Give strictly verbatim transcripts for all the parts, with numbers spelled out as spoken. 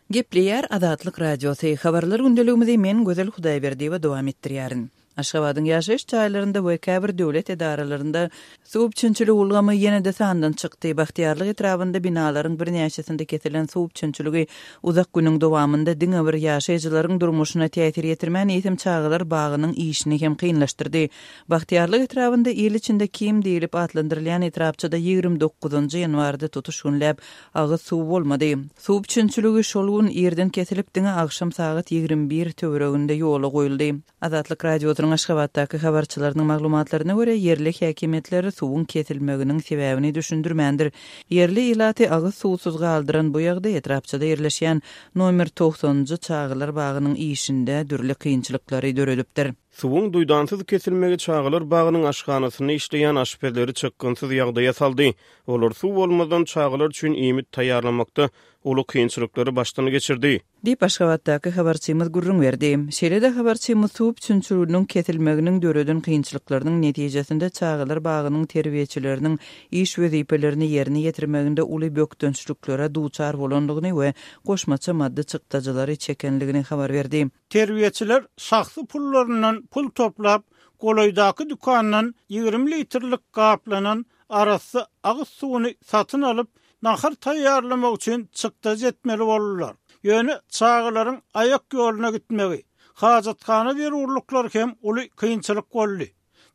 Gepleýär Azatlyk Radiosy. Habarlar gündeligimizi men Gözel Hudaýberdiýewa dowam etdirýärin. Aşgabadyň ýaşaýyş jaýlarynda we käbir döwlet edaralarynda suw üpjünçiligi ulgamy ýene-de sandan çykdy. Bagtyýarlyk etrabynda binalaryň birnäçesinde kesilen suw üpjünçiligi uzak günüň dowamynda diňe bir ýaşaýjylaryň durmuşyna täsir ýetirmän, eýsem çagalar bagynyň işini hem kynlaşdyrdy. Bagtyýarlyk etrabynda il içinde Kim diýlip atlandyrylýan etrapçada ýigrimi dokuzynjy ýanwarda tutuş günläp agyz suwy bolmady. Suw üpjünçiligi şol gün irden kesilip, diňe agşam sagat ýigrimi bir töwereginde ýola goýuldy. Azatlyk Radiosynyň Aşgabatdaky habarçylarynyň maglumatlaryna görä, ýerli häkimiýetler suwuň kesilmeginiň sebäbini düşündirmändir. Ýerli ilaty agyz suwsuz galdyran bu ýagdaý etrapçada ýerleşýän nomer togsanynjy çagalar bagynyň işinde dürli kynçylyklary döredipdir. Suwuň duýdansyz kesilmegi çagalar bagynyň aşhanasynda işleýän aşpezleri çykgynsyz ýagdaýa saldy. Olar suw bolmazdan çagalar üçin iýmit taýýarlamakda uly kynçylyklary başdan geçirdi. Diýip, Aşgabatdaky habarçymyz gürrüň berdi. Şeýle-de habarçymyz suw üpjünçiliginiň kesilmeginiň döreden kynçylyklarynyň netijesinde çagalar bagynyň terbiýeçileriniň iş wezipelerini ýerine ýetirmeginde uly bökdençliklere duçar bolandygyny we goşmaça maddy çykdajylary çekenligini habar berdi. Terbiýeçiler şahsy pullaryndan pul toplap, golaýdaky dükandan ýigrimi litrlik gaplanan arassa agyz suwuny satyn alyp, nahar taýýarlamak üçin çykdajy etmeli boldular. Ýöne çagalaryň aýak ýoluna gitmegi, hajathana zerurlyklary hem uly kynçylyk boldy.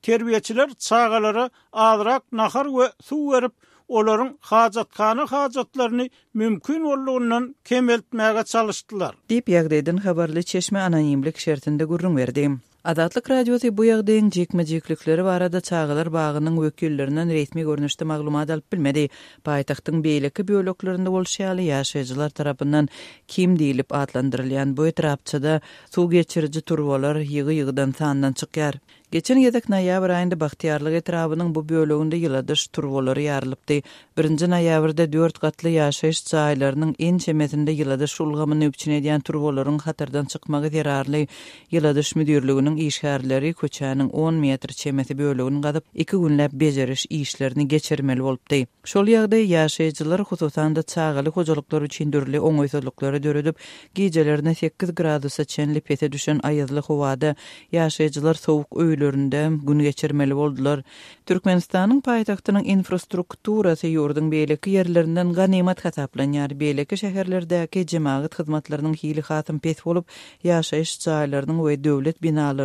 Terbiýeçiler çagalara azrak nahar we suw berip, olaryň hajathana hajatlaryny mümkin boldugyndan kemeltmäge çalyşdylar. Diýip, ýagdaýdan habarly çeşme anonimlik şertinde gürrüň berdi. Azatlyk Radiosy bu ýagdaýyň jikme-jiklikleri barada çagalar bagynyň wekillerinden resmi görnüşde maglumat alyp bilmedi. Paýtagtyň beýleki böleklerinde bolşy ýaly, ýaşaýjylar tarapyndan Kim diýlip atlandyrylýan bu etrapçada suw geçiriji turbalar ýygy-ýygydan sandan çykýar. Geçen gezek noýabr aýynda Bagtyýarlyk etrabynyň bu böleginde ýyladyş turbalary ýarylypdy. Birinji noýabrda dört gatly ýaşaýyş jaýlarynyň ençemesinde ýyladyş ulgamyny üpjün edýän turbalaryň hatardan çykmagy zerarly ýyladyş müdirliginiň işgärleri köçäniň on metr çemesi bölegini gazyp, iki günläp bejeriş işlerini geçirmeli bolupdy. Şol ýagdaý ýaşaýjylar, hususan-da çagaly hojalyklar üçin dürli oňaýsyzlyklary döredip, gijelerine sekiz gradusa çenli pese düşen aýazly howada ýaşaýjylar sowuk öýlerinde gün geçirmeli boldular. Türkmenistanyň paýtagtynyň infrastrukturasy ýurduň beýleki ýerlerinden ganymat hasaplanýar. Beýleki şäherlerdäki jemagat hyzmatlarynyň hili hasam pes bolup, ýaşaýyş jaýlarynyň we döwlet binalarynyň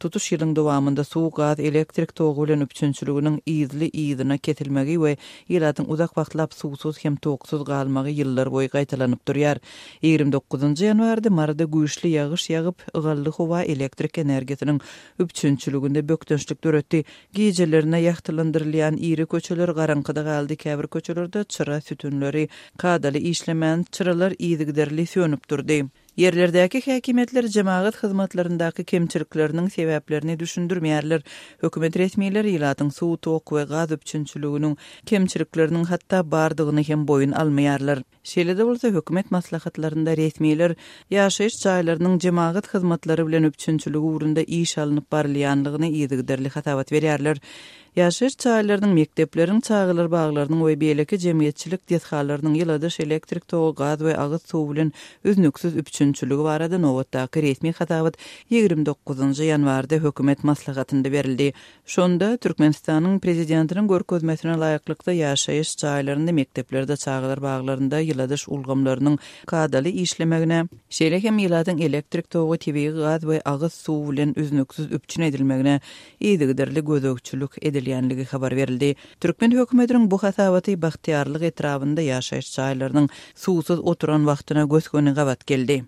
tutuş ýylyň dowamynda suw, gaz, elektrik togy bilen üpjünçiliginiň yzly-yzyna kesilmegi we ilatyň uzak wagtlap suwsuz hem toksuz galmagy ýyllar boýy gaýtalanyp durýar. Ýigrimi dokuzynjy ýanwarda Maryda güýçli ýagyş ýagyp, ygally howa elektrik energiýasynyň üpjünçiliginde bökdençlik döretdi. Gijelerine ýagtylandyrylýan iri köçeler garaňkyda galdy, käbir köçelerde çyra sütünleri kadaly işlemän, çyralar yzygiderli sönüp durdy. Ýerlerdäki häkimiýetler jemagat hyzmatlaryndaky kemçilikleriniň sebäplerini düşündirmeýärler. Hökümet resmileri ilatyň suw, tok we gaz üpjünçiliginiň kemçilikleriniň hatda bardygyny hem boýun almaýarlar. Şeýle-de bolsa, hökümet maslahatlarynda resmiler ýaşaýyş jaýlarynyň jemagat hyzmatlary bilen üpjünçiligi ugrunda iş alnyp barylýanlygyny yzygiderli hasabat berýärler. Ýaşaýyş jaýlarynyň, mekdepleriň, çagalar baglarynyň we beýleki jemgyýetçilik desgalarynyň ýyladyş, elektrik togy, gaz we agyz suwy bilen üznüksiz üpjünçiligi barada nobatdaky resmi hasabat ýigrimi dokuzynjy ýanwarda hökümet maslahatynda berildi. Şonda Türkmenistanyň Prezidentiniň görkezmesine laýyklykda ýaşaýyş jaýlarynda, mekdeplerde, çagalar baglarynda ýyladyş ulgamlarynyň kadaly işlemegine, şeýle hem ilatyň elektrik togy, tebigy gaz we agyz suwy bilen üznüksiz üpjün edilmegine yzygiderli gözegçilik edilýänligi habar berildi. Türkmen hökümetiniň bu hasabaty Bagtyýarlyk etrabynda ýaşaýyş jaýlarynyň suwsuz oturan wagtyna gös-göni gabat geldi.